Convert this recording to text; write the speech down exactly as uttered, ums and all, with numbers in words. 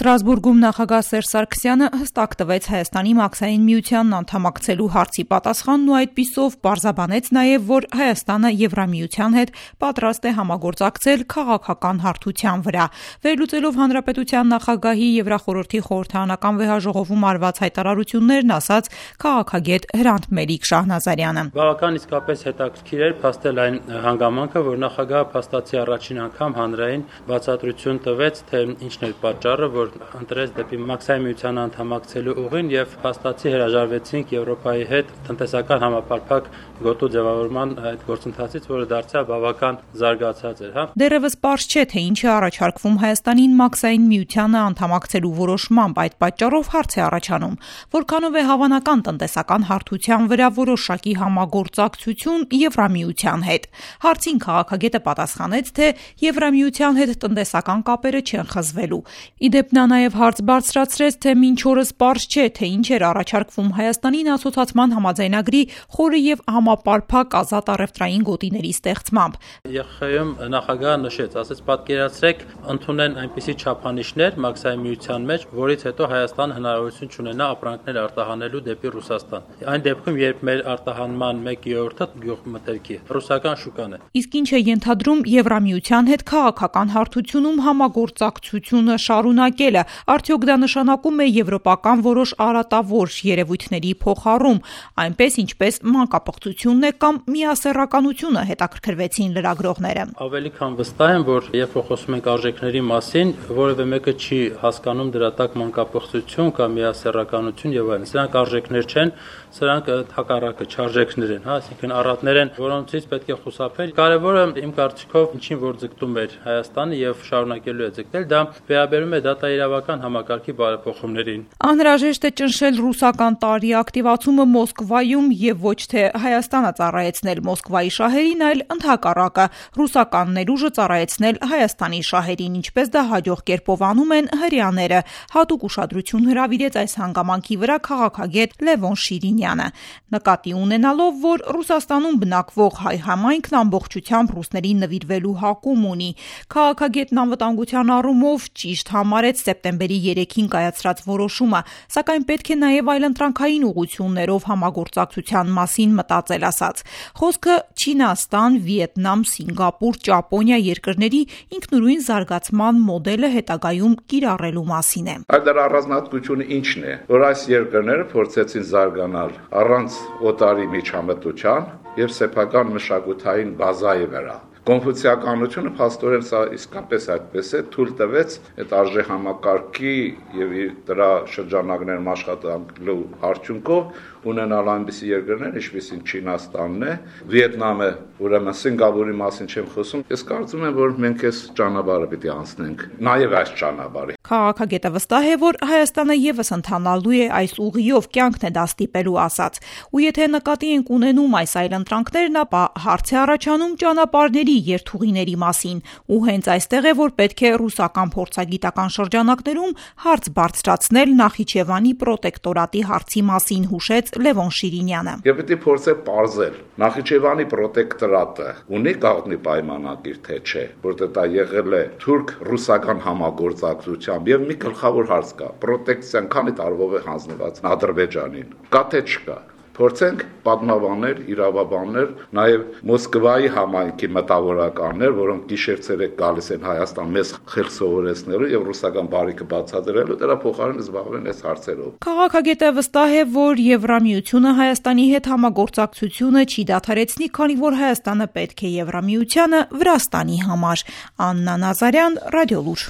Ստրասբուրգում նախագահ Սերժ Սարգսյանը հստակ տվեց Հայաստանի մաքսային միությանն անդամակցելու հարցի պատասխանն ու այդպիսով պարզաբանեց նաև, որ Հայաստանը Եվրամիության հետ պատրաստ է համագործակցել քաղաքական հարթության վրա։ Վերլուծելով հանրապետության նախագահի Եվրախորհրդի խորհրդարանական վեհաժողովում արված հայտարարություններն, ասաց քաղաքագետ Հրանտ Մելիք Շահնազարյանը։ Բավական իսկապես հետաքրքիր էր փաստել այն հանգամանքը, որ նախագահը փաստացի առաջին անգամ հանրային բացատրություն տվեց, թե ինչն էր պատճառը, որ ընտրեց դեպի մաքսային միության անդամակցելու ուղին եւ փաստացի հրաժարվեցինք Եվրոպայի հետ տնտեսական համապարփակ գոտու ձևավորման այդ գործընթացից, որը դարձյալ բավական զարգացած էր, հա։ Դեռևս պարզ չէ, թե ինչ է առաջարկվում Հայաստանին մաքսային միությանը անդամակցելու որոշմամբ, այդ պատճառով հարց է առաջանում, որքանով է հավանական տնտեսական հարթության վրա որոշակի համագործակցություն Եվրամիության հետ։ Հարցին քաղաքագետը պատասխանեց, թե Եվրամիության հետ տնտեսական կապերը չեն խզվելու։ Իդեպ նա նաև հարց բարձրացրեց, թե մինչ օրս պարզ չէ, թե ինչ էր առաջարկվում Հայաստանին ասոցացման համաձայնագրի խորը եւ համապարփակ ազատ առևտրային գոտիների ստեղծմամբ։ ԵԽ-ում նախագահը նշեց, ասեց պատկերացրեք, ընդունեն այնպիսի չափանիշներ մաքսային միության մեջ, որից հետո Հայաստանը հնարավորություն չունենա ապրանքներ արտահանելու դեպի Ռուսաստան։ Այն դեպքում, երբ մեր արտահանման մեկ երրորդը գյուղմթերքի ռուսական շուկան է։ Իսկ ինչ է ենթադրում Եվրամիության հետ քաղաքական հարթությունում համագործակցությունը շարունակելը, արդյոք դա նշանակում է եվրոպական որոշ արատավոր երևույթների փոխառում, այնպես ինչպես մանկապղծությունն է կամ միասեռականությունը, հետաքրքրվեցին լրագրողները։ Ավելի քան վստահ եմ, որ երբ խոսում ենք արժեքների մասին, որևէ մեկը չի հասկանում դրա տակ մանկապղծություն կամ միասեռականություն եւ այլն։ Սրանք արժեքներ չեն, սրանք հակառակը չարժեքներ են, հա, այսինքն առատներ են, որոնցից պետք է խուսափել։ Կարևորը իմ կարծիքով ինչին որ ձգտում էր Հայաստանը եւ շարունակելու է ձգտել, դա վերաբերում է դատաիրավական համակարգի բարեփոխումներին։ Անհրաժեշտ է ճնշել ռուսական տարրի ակտիվացումը Մոսկվայում եւ ոչ թե Հայաստանը ծառայեցնել Մոսկվայի շահերին, այլ ընդհակառակը ռուսական ներուժը ծառայեցնել Հայաստանի շահերին, ինչպես դա հաջող կերպով անում են հրեաները։ Հատուկ ուշադրություն հրավիրեց այս հանգամանքի վրա քաղաքագետ Լևոն Շիրինյանը, նկատի ունենալով, որ Ռուսաստանում բնակվող հայ համայնքն ամբողջությամբ ռուսներին նվիրվելու հակում ունի։ Քաղաքագետն անվտանգության առումով ճիշտ համարեց սեպտեմբերի երեքին կայացրած որոշումը, սակայն պետք է նաև այլընտրանքային ուղղություններով համագործակցության մասին մտածել, ասաց։ Խոսքը Չինաստան, Վիետնամ, Սինգապուր, Ճապոնիա երկրների ինքնուրույն զարգացման մոդելը հետագայում կիրառելու մասին է։ Այդ դրա առանձնահատկությունը ինչն է, որ այս երկրները փորձեցին զարգանալ առանց օտարի միջամտության եւ սեփական մշակութային բազայի վրա։ Կոնֆուցիականությունը փաստորեն սա իսկապես այդպես է, թույլ տվեց այդ արժեհամակարգի եւ դրա շրջանակներում աշխատանքելու արդյունքով ունենալ այնպիսի երկրներ, ինչպիսին Չինաստանն է, Վիետնամը, ուրեմն Սինգապուրի մասին չեմ խոսում։ Ես կարծում եմ, որ մենք այս ճանապարհը պիտի անցնենք, նաեւ այս ճանապարհը։ Քաղաքագետը վստահ է, որ Հայաստանը եւս ընթանալու է այս ուղիով, կյանքն է դա ստիպելու, ասաց։ Ու եթե նկատի ենք ունենում այս այլընտրանքներն, ապա հարց է առաջանում ճանապարհների երթուղիների մասին, ու հենց այստեղ է, որ պետք է ռուսական փորձագիտական շրջանակներում հարց բարձրացնել Նախիջևանի պրոտեկտորատի հարցի մասին, հուշեց Լևոն Շիրինյանը։ Եվ պետք է փորձել պարզել Նախիջևանի պրոտեկտորատը ունի գաղտնի պայմանագիր, թե չէ, որտեղ դա եղել է թուրք-ռուսական համագործակցությամբ եւ մի գլխավոր հարց կա. պրոտեկցիան քանի տարվով է հանձնված Ադրբեջանին։ Կա թե չկա։ Փորձենք պատմաբաններ, իրավաբաններ, նաև Մոսկվայի համայնքի մտավորականներ, որոնք գիշեր-ցերեկ գալիս են Հայաստան մեզ խելք սովորեցնելու եւ ռուսական բարիքը բացատրելու, դրա փոխարեն զբաղվեն այս հարցերով։ Քաղաքագետը վստահ է, որ Եվրամիությունը Հայաստանի հետ համագործակցությունը չի դադարեցնի, քանի որ Հայաստանը պետք է Եվրամիությանը Վրաստանի համար։ Աննա Նազարյան, Ռադիոլուր։